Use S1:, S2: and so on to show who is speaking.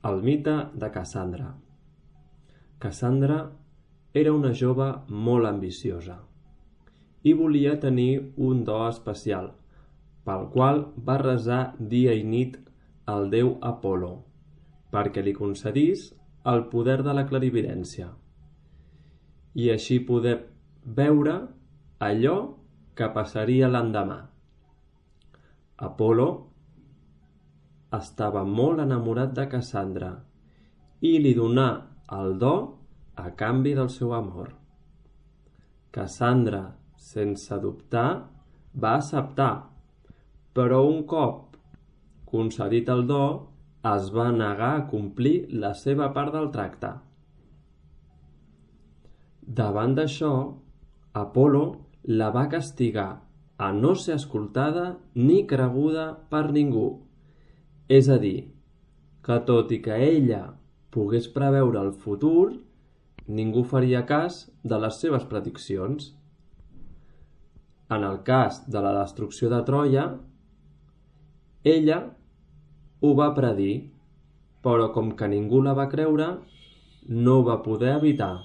S1: El mite de Cassandra. Cassandra era una jove molt ambiciosa i volia tenir un do especial, pel qual va resar dia i nit al déu Apol·lo perquè li concedís el poder de la clarividència i així poder veure allò que passaria l'endemà. Apol·lo estava molt enamorat de Cassandra i li donà el do a canvi del seu amor. Cassandra, sense dubtar, va acceptar, però un cop concedit el do, es va negar a complir la seva part del tracte. Davant d'això, Apol·lo la va castigar a no ser escoltada ni creguda per ningú. És a dir, que tot i que ella pogués preveure el futur, ningú faria cas de les seves prediccions. En el cas de la destrucció de Troia, ella ho va predir, però com que ningú la va creure, no ho va poder evitar.